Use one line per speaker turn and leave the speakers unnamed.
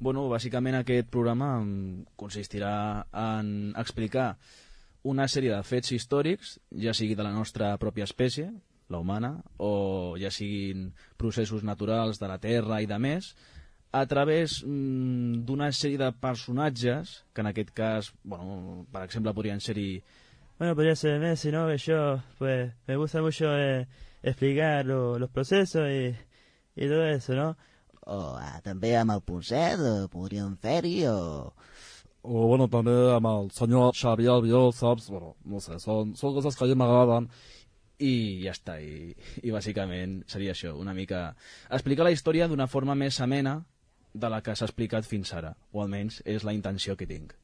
Bueno, bàsicament aquest programa consistirà en explicar una sèrie de fets històrics, ja sigui de la nostra pròpia espècie, la humana, o ja siguin processos naturals de la Terra i de més, a través d'una sèrie de personatges, que en aquest cas, bueno, per exemple, podrien ser-hi...
Bueno, podría ser Messi, ¿no? Que yo, pues, me gusta mucho explicar los procesos y todo eso, ¿no?
O també amb el Ponset, podríem fer-hi, o
bueno, també amb el senyor Xavier Albiol, saps? Bueno, no sé, són coses que a mi m'agraden.
I ja està, i bàsicament seria això, una mica explicar la història d'una forma més amena de la que s'ha explicat fins ara, o almenys és la intenció que tinc.